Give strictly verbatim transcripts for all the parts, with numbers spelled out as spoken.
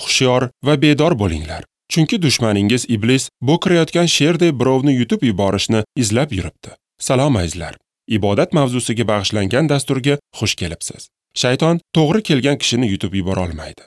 Hushyor va bedor bo'linglar. Chunki dushmaningiz iblis bo'kirayotgan sherdek birovni yutib yuborishni izlab yuribdi. Salom azizlar. Ibodat mavzusiga bag'ishlangan dasturga xush kelibsiz. Shayton to'g'ri kelgan kishini yutib yubora olmaydi.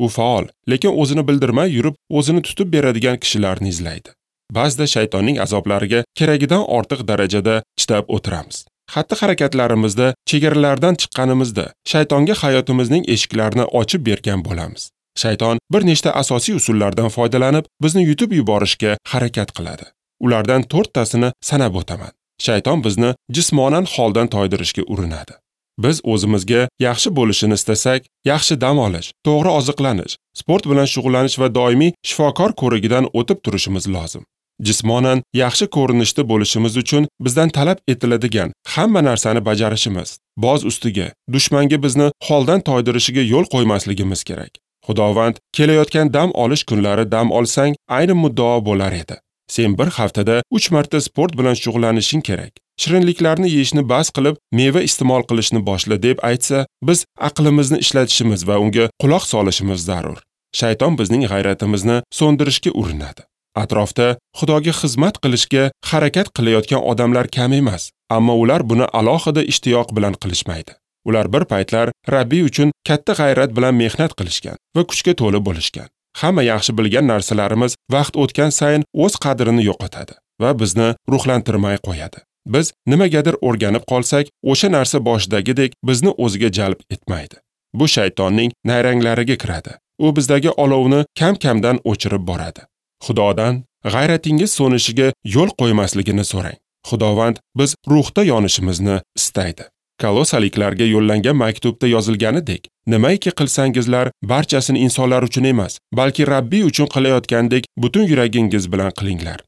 U faol, lekin o'zini bildirmay yurib, o'zini tutib beradigan kishilarni izlaydi. Ba'zida shaytonning azoblariga keragidan ortiq darajada chidab o'tiramiz. Xatti-harakatlarimizda chegaralardan chiqqanimizda shaytonga hayotimizning eshiklarini ochib bergan bo'lamiz. Shayton bir nechta asosiy usullardan foydalanib, bizni yutib yuborishga harakat qiladi. Ulardan to'rttasini sanab o'taman. Shayton bizni jismonan holdan toydirishga urinadi. Biz o'zimizga yaxshi bo'lishini istasak, yaxshi dam olish, to'g'ri oziqlanish, sport bilan shug'ullanish va doimiy shifokor ko'rigidan o'tib turishimiz lozim. Jismonan yaxshi ko'rinishda bo'lishimiz uchun bizdan talab etiladigan hamma narsani bajarishimiz, boz ustiga dushmanga bizni holdan toydirishiga yo'l qo'ymasligimiz kerak. Xudovand kelayotgan dam olish kunlari dam olsang, ayni muddao bo'lar edi. Sen bir haftada uch marta sport bilan shug'ullanishing kerak. Shirinliklarni yeyishni bas qilib, meva iste'mol qilishni boshla deb aytsa, biz aqlimizni ishlatishimiz va unga quloq solishimiz zarur. Shayton bizning g'ayratimizni so'ndirishga urinadi. Atrofda Xudoga xizmat qilishga harakat qilayotgan odamlar kam emas, ammo ular buni alohida ishtiyoq bilan qilishmaydi. Ular bir paytlar Rabbiy uchun katta g'ayrat bilan mehnat qilishgan va kuchga to'la bo'lishgan. Hamma yaxshi bilgan narsalarimiz vaqt o'tgan sayin o'z qadrini yo'qotadi va bizni ruhlantirmay qo'yadi. Biz nimagadir o'rganib qolsak, o'sha narsa boshidagidek bizni o'ziga jalb etmaydi. Bu shaytonning nayranglariga kiradi. U bizdagi olovni kam-kamdan o'chirib boradi. Xudodan g'ayratingiz so'nishiga yo'l qo'ymasligini so'rang. Xudovand biz ruhda yonishimizni istaydi. Kolosaliklarga yo'llangan maktubda yozilganidek, nimaiki qilsangizlar, barchasini insonlar uchun emas, balki Rabbiy uchun qilayotgandek butun yuragingiz bilan qilinglar.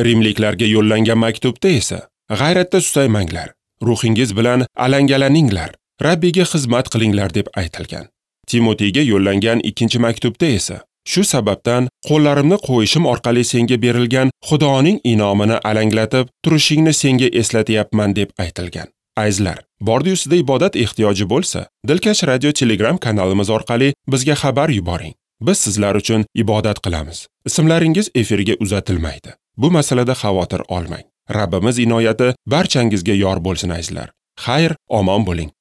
Rimliklarga yo'llangan maktubda esa, g'ayratda susaymanglar, ruhingiz bilan alangalaninglar, Rabbiyga xizmat qilinglar deb aytilgan. Timoteyga yo'llangan ikkinchi maktubda esa, shu sababdan qo'llarimni qo'yishim orqali senga berilgan Xudoning inomini alanglatib turishingni senga eslatyapman deb aytilgan. Azizlar, bordi-yu sizda ibodat ehtiyoji bo'lsa, Dilkash Radio Telegram kanalimiz orqali bizga xabar yuboring. Biz sizlar uchun ibodat qilamiz. Ismlaringiz efirga uzatilmaydi. Bu masalada xavotir olmang. Rabbimiz inoyati barchangizga yor bo'lsin azizlar. Xayr, omon bo'ling.